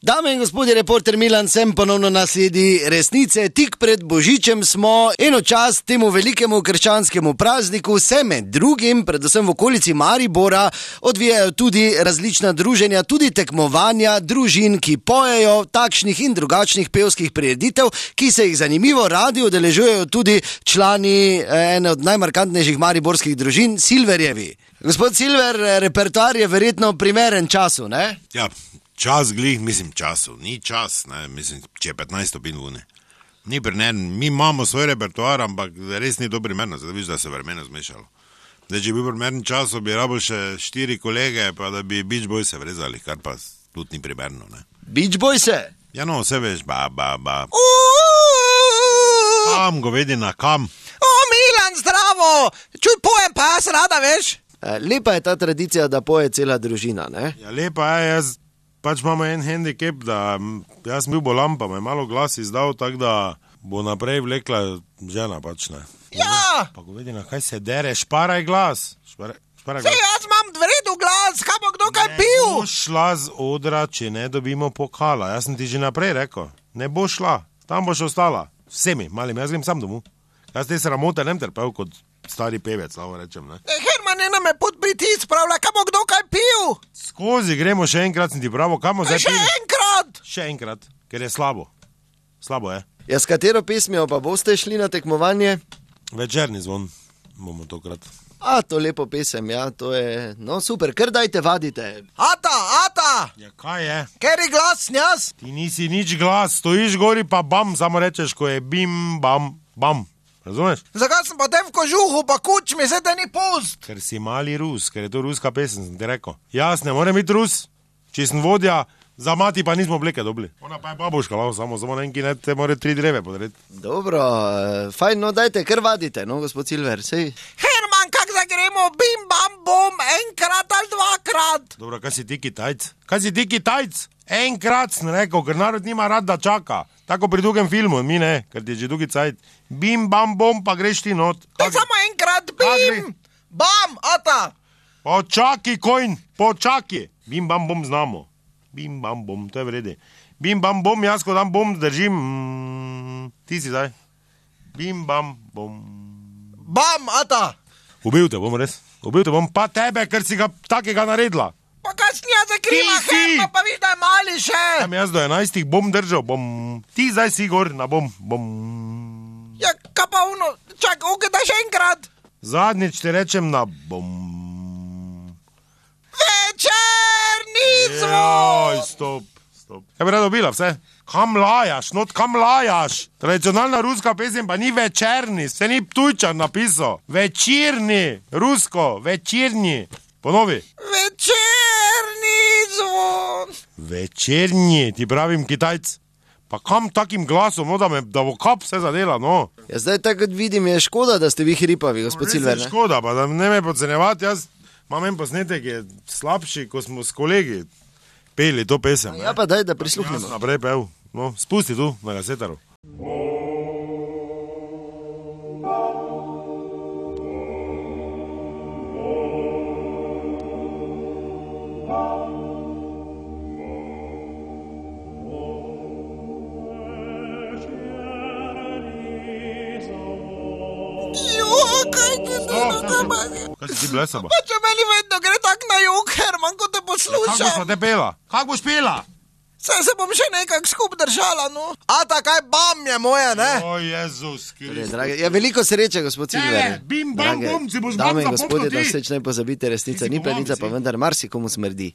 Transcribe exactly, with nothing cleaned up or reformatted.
Dame in gospodje, reporter Milan sem ponovno na sledi resnice. Tik pred Božičem smo, eno čas temu velikemu krščanskemu prazniku se med drugim, predvsem v okolici Maribora, odvijajo tudi različna druženja, tudi tekmovanja družin, ki pojejo takšnih in drugačnih pevskih prireditev, ki se jih zanimivo radi udeležujejo tudi člani ene od najmarkantnejših mariborskih družin, Silverjevi. Gospod Silver, repertoar je verjetno primeren času, ne? Ja. Čas glih, mislim času, ni čas, ne, mislim, če je petnajst stopinj vune. Ni primeren, mi imamo svoj repertoar, ampak res ni to primerno, zdaj viš, da se vremena zmešalo. Zdaj, če bi bil primeren čas, bi rabo še štiri kolege, pa da bi Beach Boyse vrezali, kar pa tudi ni primerno, ne. Beach Boyse? Ja, no, vse veš, ba, ba, ba. Kam, govedina, kam? O, Milan, zdravo! Čuj, pojem pa jaz rada, veš? Lepa je ta tradicija, da poje cela družina, ne? Ja, lepa je, jaz... Pač imamo en handicap, da jaz sem bil bolan, pa me malo glas izdal, tako da bo naprej vlekla žena, pač ne. Ja! Pa govedi, na kaj se dere, šparaj glas. Šparaj, šparaj glas. Sej, jaz imam vredu glas, kaj bo kdo kaj pil? Ne bo šla z odra, če ne dobimo pokala. Jaz sem ti že naprej rekel, ne bo šla, tam boš ostala. Vsemi, malim, jaz grem sam domov. Jaz te sramote nem trpel kot stari pevec, lahko rečem, ne. E, Herman, ena me pod pritisk spravlja, kaj bo kdo kaj pil? Skozi gremo še enkrat, sem ti pravo, kamo zdaj Še pili? enkrat! Še enkrat, ker je slabo. Slabo je. Ja, s katero pesmijo pa boste šli na tekmovanje? Večerni zvon bomo tokrat. A, to lepo pesem, ja, to je, no super, kar dajte, vadite. Ata, ata! Ja, kaj je? Ker je glas, njas? Ti nisi nič glas, stojiš gori pa bam, samo rečeš, ko je bim, bam, bam. Razumeš? Zakaj sem pa te v kožuhu, pa kuč mi se te ni pust? Ker si mali Rus, ker je to ruska pesem, sem ti rekel. Jaz ne morem biti Rus, če sem vodja, za mati pa nismo obleke dobili. Ona pa je babuška, lahko samo, samo neki ne te more tri dreve podreti. Dobro, fajn, no dajte, kar vadite, no, gospod Silver, sej. Herman, kak zdaj gremo, bim, bam, bom, enkrat ali dvakrat? Dobro, kaj si ti Kitajc? Kaj si ti Kitajc? Enkrat sem rekel, ker narod nima rad, da čaka. Tako pri drugem filmu, mi ne, ker ti je že drugi cajt. Bim, bam, bom, pa greš ti not. Te samo enkrat, bim, bam, ata. Počaki, kojn, počaki. Bim, bam, bom znamo. Bim, bam, bom, to je vrede. Bim, bam, bom, jaz ko tam bom držim. Mm, ti si zdaj. Bim, bam, bom. Bam, ata. Ubil te bom res. Ubil te bom pa tebe, ker si ga takega naredila. Pa kaj si jaz zakriva, Ti si! Herman, pa viš, da je mali še. Tam jaz do enajstih bom držal, bom. Ti zdaj si gor na bom, bom. Ja, kaj pa uno, čak, ukaj še enkrat. Zadnjič ti rečem na bom. Večerni Joj, zvon. stop, stop. Ja bi rada dobila vse. Kam lajaš, not kam lajaš? Tradicionalna ruska pesem pa ni večerni, se ni Ptujčan napisal. Večerni, rusko, večerni. Ponovi. Večerni zvon. Večerni, ti pravim Kitajc. Pa kam takim glasom, no, da me, da bo kap vse zadela, no. Ja, zdaj tako vidim, je škoda, da ste vi hripavi, gospod Res Silver, je ne? škoda, pa da ne me podcenjevati, jaz imam en posnetek, je slabši, ko smo s kolegi peli to pesem. Ja, pa daj, da Jaz prisluhnemo. naprej pel, no, spusti tu na kasetaru. Jo, kaj ti to nama? Kaj si ti blesaba? Pa če meni vedno gre tak na jug, Herman, ko te Kako boš poslušam. pa te pela? Kako boš pela? Saj se bom še nekak skup držala, no. Ata, kaj bam je moje, ne? O, Jezus Kristus. Drage, ja, veliko sreče, gospod Ne, Silver. ne, bim, bam, Drage bom, si boš dame in bam zapoknil gospodje, da ti. vseč ne pozabite, resnica Ti si ni plenica, pomagal, pa si. vendar marsikomu smrdi.